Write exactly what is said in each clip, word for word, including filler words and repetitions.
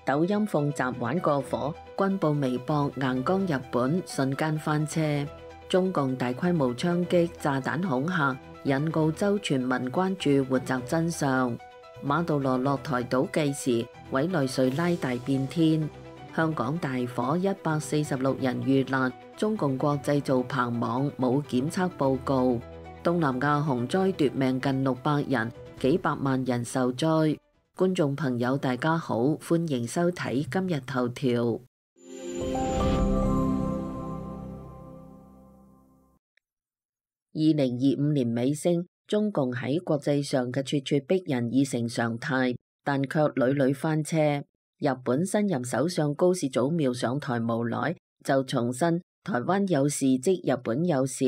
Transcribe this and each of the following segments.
抖音奉習玩過火，軍報微博硬剛日本，瞬間翻車。中共大規模槍擊、炸彈恐嚇，引澳洲全民關注活摘真相。馬杜羅落台倒計時，委內瑞拉大變天。香港大火，一百四十六人遇難。中共國製造棚網冇檢測報告。東南亞洪災奪命近六百人，幾百萬人受災。觀眾朋友大家好，歡迎收睇今日頭條。二零二五年尾聲，中共喺國際上嘅咄咄逼人已成常態，但卻屢屢翻車。日本新任首相高市早苗上台無耐，就重申台灣有事即日本有事，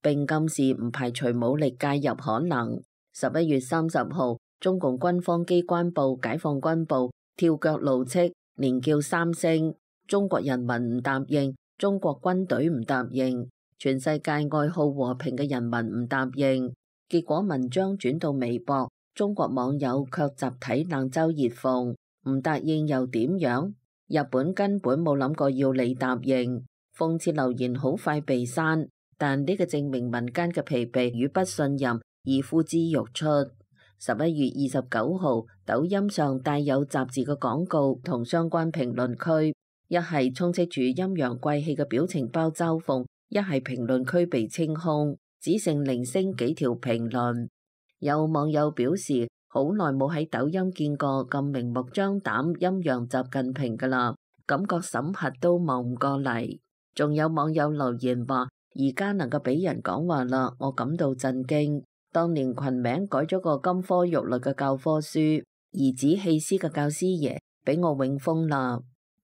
並暗示唔排除武力介入可能。十一月三十號，中共軍方機關報《解放軍報》跳腳怒斥，連叫三聲，中國人民唔答應，中國軍隊唔答應，全世界愛好和平嘅人民唔答應。結果文章轉到微博，中國網友卻集體冷嘲熱諷，唔答應又點樣？日本根本冇諗過要你答應。諷刺留言好快被刪，但呢個證明民間嘅疲憊與不信任已呼之欲出。十一月二十九號，抖音上帶有雜誌嘅廣告同相關評論區，一係充斥住陰陽怪氣嘅表情包嘲諷，一係評論區被清空，只剩零星幾條評論。有網友表示，好耐冇喺抖音見過咁明目張膽陰陽習近平㗎啦，感覺審核都望唔過嚟。仲有網友留言話，而家能夠俾人講話啦，我感到震驚。當年群名改咗個金科玉律嘅教科書，兒子棄師嘅教師爺俾我永封啦。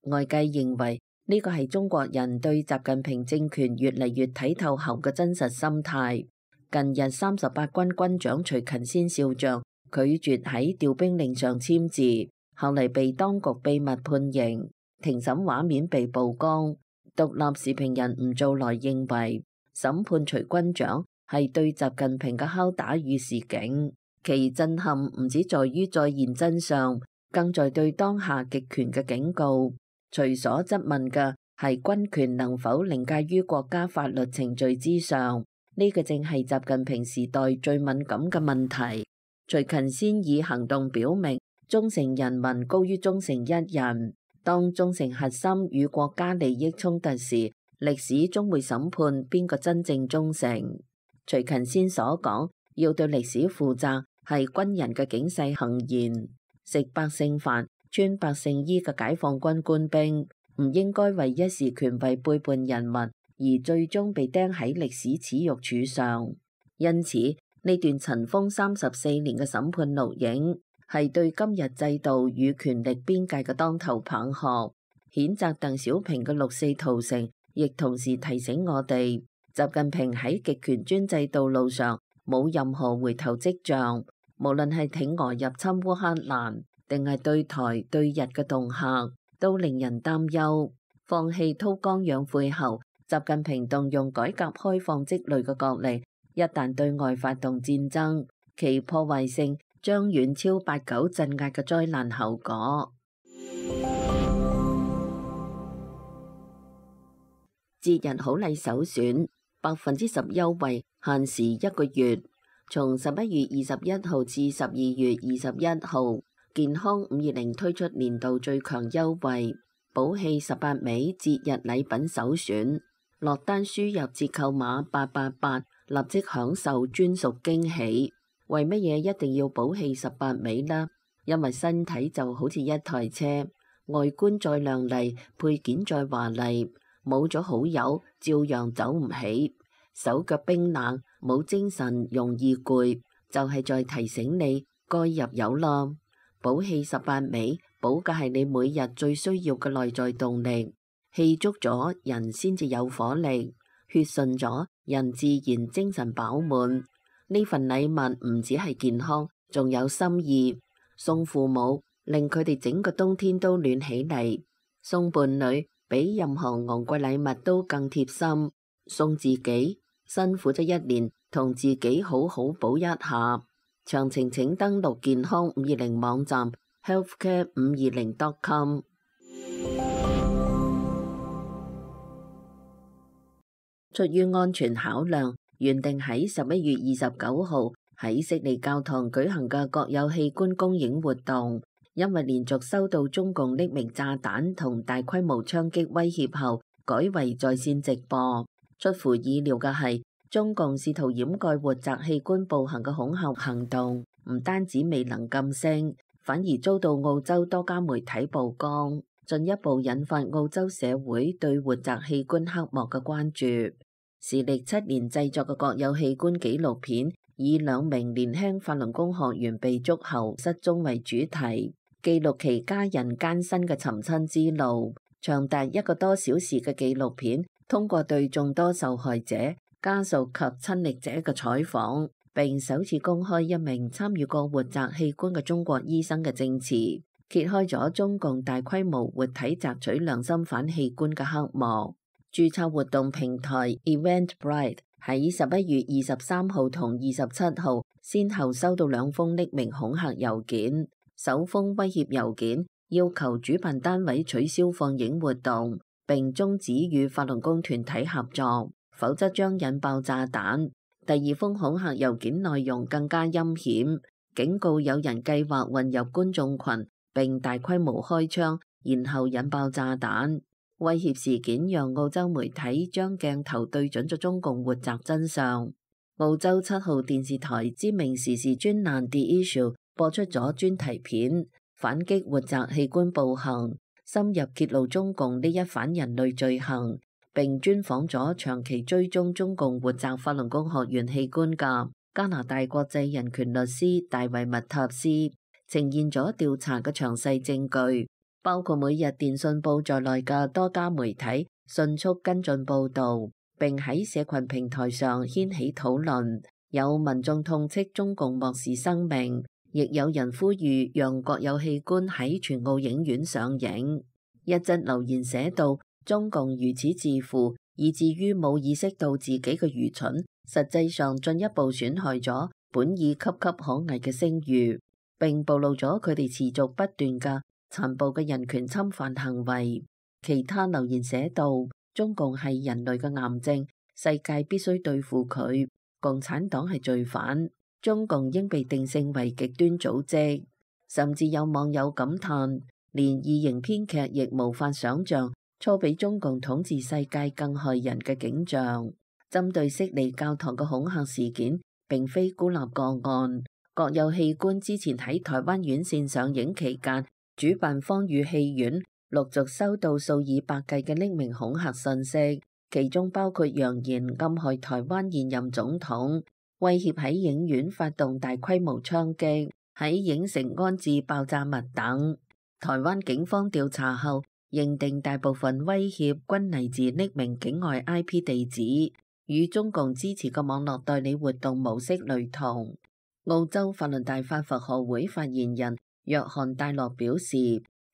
外界認為呢個係中國人對習近平政權越嚟越睇透後嘅真實心態。近日三十八軍軍長徐勤先少將拒絕喺調兵令上簽字，後嚟被當局秘密判刑，庭審畫面被曝光。獨立時評人吳做來認為，審判徐軍長係對習近平嘅敲打與示警，其震撼唔止在於再現真相，更在對當下極權嘅警告。徐所質問嘅係軍權能否凌駕於國家法律程序之上，呢、這個正係習近平時代最敏感嘅問題。徐勤先以行動表明，忠誠人民高於忠誠一人。當忠誠核心與國家利益衝突時，歷史終會審判邊個真正忠誠。徐勤先所講，要對歷史負責，係軍人嘅警世行言。食百姓飯、穿百姓衣嘅解放軍官兵，唔應該為一時權位背叛人民，而最終被釘喺歷史恥辱柱上。因此，呢段塵封三十四年嘅審判錄影，係對今日制度與權力邊界嘅當頭棒喝。譴責鄧小平嘅六四屠城，亦同時提醒我哋，習近平喺極權專制道路上冇任何回頭跡象，無論係挺俄入侵烏克蘭，定係對台對日嘅恫嚇，都令人擔憂。放棄韜光養晦後，習近平動用改革開放積累嘅國力，一旦對外發動戰爭，其破壞性將遠超八九鎮壓嘅災難後果。節日好禮首選，百分之十優惠，限時一個月，從十一月二十一號至十二月二十一號，健康五二零推出年度最強優惠，寶氣十八味節日禮品首選，落單輸入折扣碼八八八，立即享受專屬驚喜。為乜嘢一定要寶氣十八味呢？因為身體就好似一台車，外觀再亮麗，配件再華麗，冇咗好友照樣走唔起，手腳冰冷，冇精神，容易攰，就係在提醒你該入油啦。寶氣十八味，寶嘅係你每日最需要嘅內在動力，氣足咗人先至有火力，血順咗人自然精神飽滿。呢份禮物唔止係健康，仲有心意。送父母，令佢哋整個冬天都暖起嚟；送伴侶，比任何昂貴禮物都更貼心。送自己，辛苦咗一年，同自己好好補一下。詳情請登錄健康五二零網站 healthcare 五二零 dot com。出於安全考量，原定喺十一月二十九號喺悉尼教堂舉行嘅國有器官公映活動，因為連續收到中共匿名炸彈同大規模槍擊威脅後，改為在線直播。出乎意料嘅係，中共試圖掩蓋活摘器官暴行嘅恐嚇行動，唔單止未能噤聲，反而遭到澳洲多家媒體曝光，進一步引發澳洲社會對活摘器官黑幕嘅關注。時歷七年製作嘅國有器官紀錄片，以兩名年輕法輪功學員被捉後失蹤為主題，記錄其家人艱辛嘅尋親之路。長達一個多小時嘅紀錄片，通過對眾多受害者、家屬及親歷者嘅採訪，並首次公開一名參與過活摘器官嘅中國醫生嘅證詞，揭開咗中共大規模活體摘取良心犯器官嘅黑幕。註冊活動平台 Eventbrite 喺十一月二十三號同二十七號先後收到兩封匿名恐嚇郵件，首封威脅郵件要求主辦單位取消放映活動，並終止與法輪功團體合作，否則將引爆炸彈。第二封恐嚇郵件內容更加陰險，警告有人計劃混入觀眾群並大規模開槍，然後引爆炸彈。威脅事件讓澳洲媒體將鏡頭對準咗中共活摘真相。澳洲七號電視台知名時事專欄 The Issue 播出咗專題片，反擊活摘器官暴行，深入揭露中共呢一反人類罪行，並專訪咗長期追蹤中共活摘法輪功學員器官嘅加拿大國際人權律師大衛麥塔斯，呈現咗調查嘅詳細證據，包括每日電訊報在內嘅多家媒體迅速跟進報導，並喺社群平台上掀起討論。有民眾痛斥中共漠視生命，亦有人呼籲讓國有器官喺全澳影院上映。一則留言寫道：中共如此自負，以至於冇意識到自己嘅愚蠢，實際上進一步損害咗本已岌岌可危嘅聲譽，並暴露咗佢哋持續不斷嘅殘暴嘅人權侵犯行為。其他留言寫道：中共係人類嘅癌症，世界必須對付佢。共產黨係罪犯，中共應被定性為極端組織。甚至有網友感嘆，連異形編劇亦無法想象初比中共統治世界更害人嘅景象。針對悉尼教堂嘅恐嚇事件，並非孤立個案。國有器官之前喺台灣院線上映期間，主辦方與戲院陸續收到數以百計嘅匿名恐嚇信息，其中包括揚言暗害台灣現任總統，威脅喺影院發動大規模槍擊，喺影城安置爆炸物等。台灣警方調查後認定大部分威脅均嚟自匿名境外 I P 地址，與中共支持嘅網絡代理活動模式類同。澳洲法輪大法佛學會發言人約翰戴洛表示，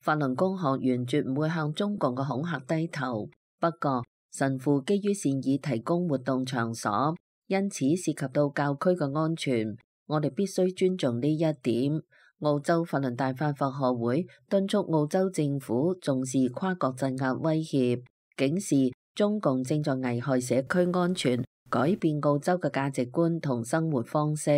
法輪功學員絕唔會向中共嘅恐嚇低頭，不過神父基於善意提供活動場所，因此涉及到教區嘅安全，我哋必須尊重呢一點。澳洲法輪大法佛學會敦促澳洲政府重視跨國鎮壓威脅，警示中共正在危害社區安全，改變澳洲嘅價值觀同生活方式。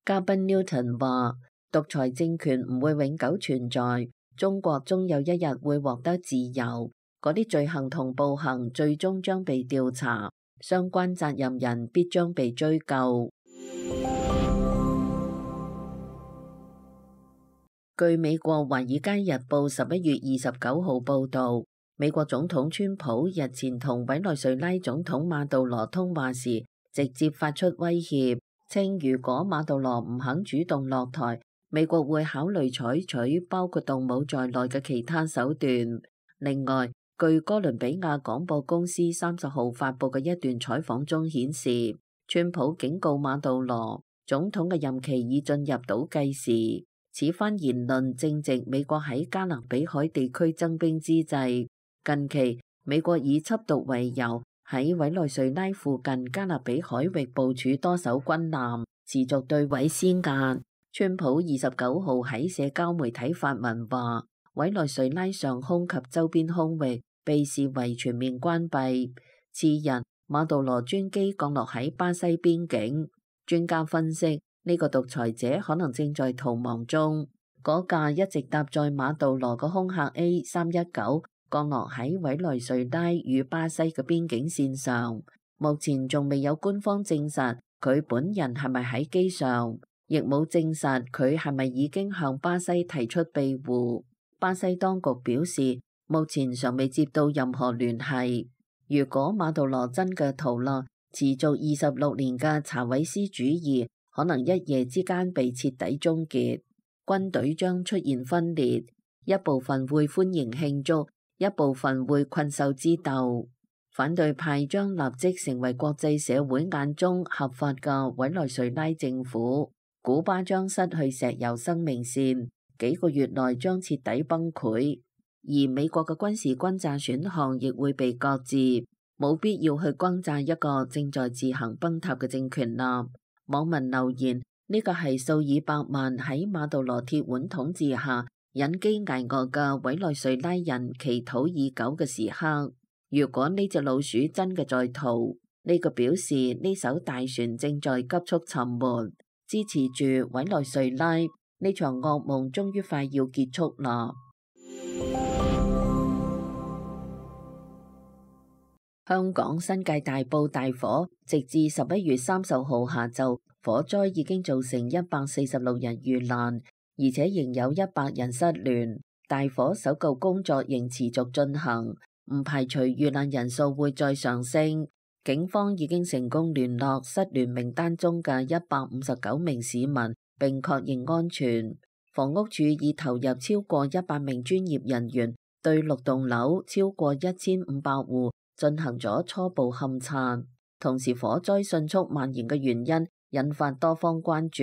嘉賓 Newton 話，獨裁政權唔會永久存在，中國終有一日會獲得自由。嗰啲罪行同暴行最終將被調查，相關責任人必將被追究。據美國《華爾街日報》十一月二十九號報導，美國總統川普日前同委內瑞拉總統馬杜羅通話時，直接發出威脅，稱如果馬杜羅唔肯主動落台，美國會考慮採取包括動武在內嘅其他手段。另外，據哥倫比亞廣播公司三十號發佈嘅一段採訪中顯示，川普警告馬杜羅總統嘅任期已進入倒計時。此番言論正值美國喺加勒比海地區增兵之際。近期，美國以緝毒為由，喺委內瑞拉附近加勒比海域部署多艘軍艦，持續對委施壓。川普二十九號喺社交媒體發文話，委內瑞拉上空及周邊空域被視為全面關閉。次日，馬杜羅專機降落喺巴西邊境。專家分析，呢個獨裁者可能正在逃亡中。嗰架一直搭載馬杜羅嘅空客 A 三一九降落喺委內瑞拉與巴西嘅邊境線上。目前仲未有官方證實佢本人係咪喺機上，亦冇證實佢係咪已經向巴西提出庇護。巴西當局表示，目前尚未接到任何聯繫。如果馬杜羅真嘅逃落，持續二十六年嘅查韋斯主義可能一夜之間被徹底終結，軍隊將出現分裂，一部分會歡迎慶祝，一部分會困獸之鬥。反對派將立即成為國際社會眼中合法嘅委內瑞拉政府。古巴將失去石油生命線，幾個月內將徹底崩潰，而美國嘅軍事轟炸選項亦會被擱置。冇必要去轟炸一個正在自行崩塌嘅政權啦。網民留言：呢個係數以百萬喺馬杜羅鐵腕統治下忍飢挨餓嘅委內瑞拉人祈禱已久嘅時刻。如果呢隻老鼠真嘅在逃，呢個表示呢艘大船正在急速沉沒。支持住委內瑞拉，呢場噩夢終於快要結束啦。香港新界大埔大火，直至十一月三十號下晝，火災已經造成一百四十六人遇難，而且仍有一百人失聯。大火搜救工作仍持續進行，唔排除遇難人數會再上升。警方已經成功聯絡失聯名單中嘅一百五十九名市民，並確認安全。房屋署已投入超過一百名專業人員，對六棟樓超過一千五百戶進行咗初步勘察，同時火災迅速蔓延嘅原因引發多方關注。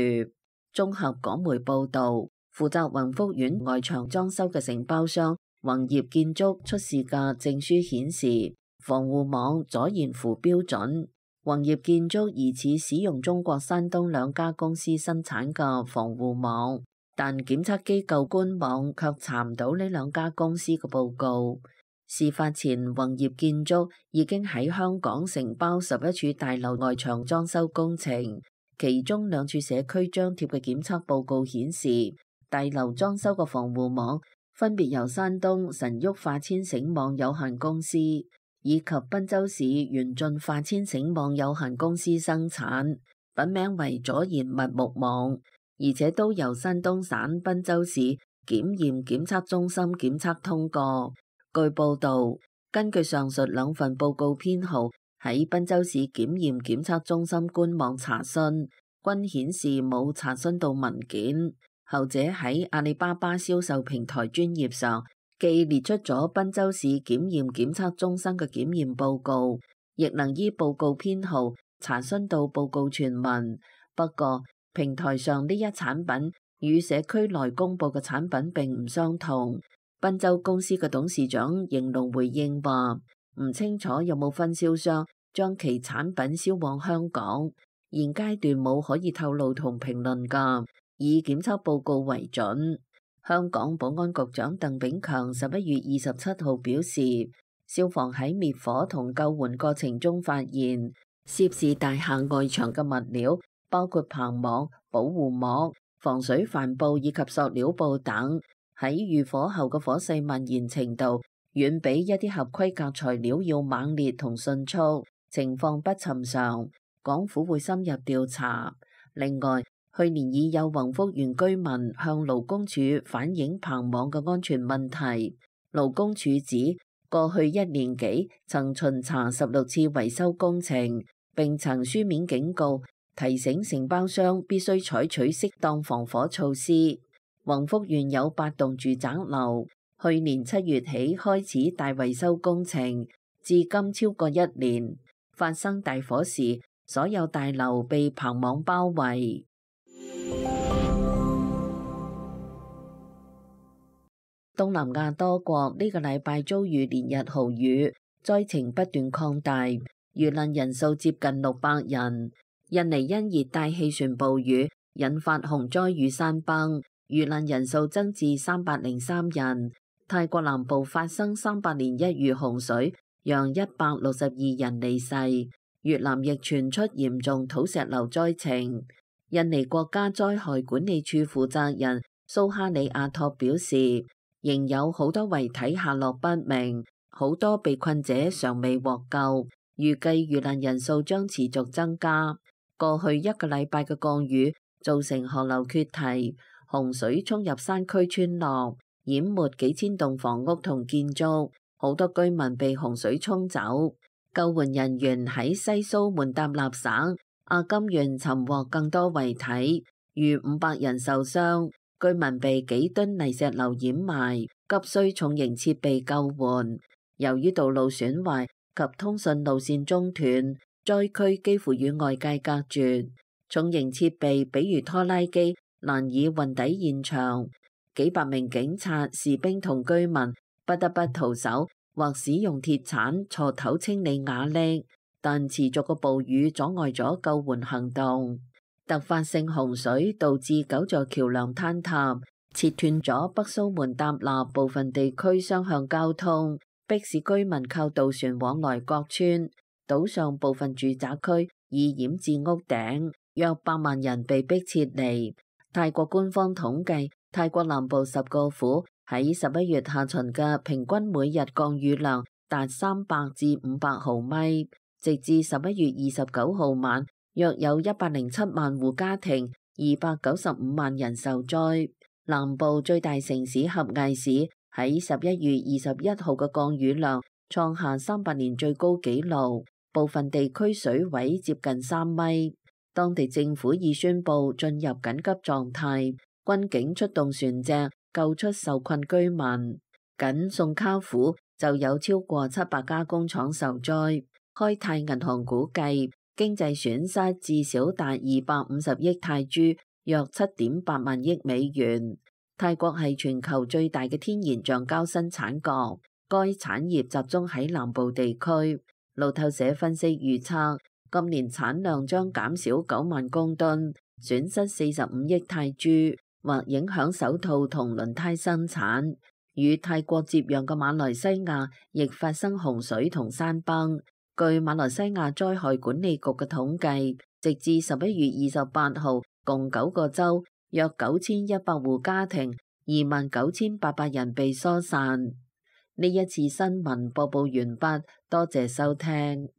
綜合港媒報導，負責宏福苑外牆裝修嘅承包商宏業建築出示嘅證書顯示，防護網阻燃符標準。宏業建築疑似使用中國山東兩家公司生產嘅防護網，但檢測機構官網卻查唔到呢兩家公司嘅報告。事發前，宏業建築已經喺香港承包十一處大樓外牆裝修工程，其中兩處社區張貼嘅檢測報告顯示，大樓裝修嘅防護網分別由山東神旭化纖繩網有限公司以及賓州市元進化纖繩網有限公司生產，品名為阻燃密木網，而且都由山東省賓州市檢驗檢測中心檢測通過。據報導，根據上述兩份報告編號，喺賓州市檢驗檢測中心官網查詢，均顯示冇查詢到文件。後者喺阿里巴巴銷售平台專頁上，既列出咗賓州市檢驗檢測中心嘅檢驗報告，亦能依報告編號查詢到報告全文。不過，平台上呢一產品與社區內公佈嘅產品並唔相同。賓州公司嘅董事長應龍回應話，唔清楚有冇分銷商將其產品銷往香港，現階段冇可以透露同評論㗎，以檢測報告為準。香港保安局長鄧炳強十一月二十七號表示，消防喺滅火同救援過程中發現，涉事大廈外牆嘅物料包括棚網、保護膜、防水帆布以及塑料布等，喺遇火後嘅火勢蔓延程度，遠比一啲合規格材料要猛烈同迅速，情況不尋常。港府會深入調查。另外，去年已有宏福園居民向勞工處反映棚網嘅安全問題。勞工處指，過去一年幾曾巡查十六次維修工程，並曾書面警告提醒承包商必須採取適當防火措施。宏福園有八棟住宅樓，去年七月起開始大維修工程，至今超過一年。發生大火時，所有大樓被棚網包圍。東南亞多國呢個禮拜遭遇連日豪雨，災情不斷擴大，遇難人數接近六百人。印尼因熱帶氣旋暴雨引發洪災與山崩，遇難人數增至三百零三人。泰國南部發生三百年一遇洪水，讓一百六十二人離世。越南亦傳出嚴重土石流災情。印尼國家災害管理處負責人蘇哈里亞托表示，仍有好多遺體下落不明，好多被困者尚未獲救，預計遇難人數將持續增加。過去一個禮拜嘅降雨造成河流決堤，洪水衝入山區村落，淹沒幾千棟房屋同建築，好多居民被洪水沖走。救援人員喺西蘇門答臘省阿金縣尋獲更多遺體，逾五百人受傷，居民被幾噸泥石流掩埋，急需重型設備救援。由於道路損壞及通訊路線中斷，災區幾乎與外界隔絕，重型設備比如拖拉機難以運抵現場，幾百名警察、士兵同居民不得不徒手或使用鐵鏟鋤頭清理瓦礫，但持續嘅暴雨阻礙咗救援行動。突發性洪水導致九座橋樑坍塌，切斷咗北蘇門答臘部分地區雙向交通，迫使居民靠渡船往來各村。島上部分住宅區已淹至屋頂，約百萬人被迫撤離。泰國官方統計，泰國南部十個府喺十一月下旬嘅平均每日降雨量達三百至五百毫米，直至十一月二十九號晚，約有一百零七萬戶家庭，二百九十五萬人受災。南部最大城市合藝市喺十一月二十一號嘅降雨量創下三百年最高紀錄，部分地區水位接近三米。當地政府已宣布進入緊急狀態，軍警出動船隻救出受困居民。僅宋卡府就有超過七百家工廠受災。開泰銀行估計經濟損失至少達二百五十億泰銖，約七點八萬億美元。泰國係全球最大嘅天然橡膠生產國，該產業集中喺南部地區。路透社分析預測，今年產量將減少九萬公噸，損失四十五億泰銖，或影響手套同輪胎生產。與泰國接壤嘅馬來西亞亦發生洪水同山崩。據馬來西亞災害管理局嘅統計，直至十一月二十八號，共九個州約九千一百戶家庭，二萬九千八百人被疏散。呢一次新聞播報完畢，多謝收聽。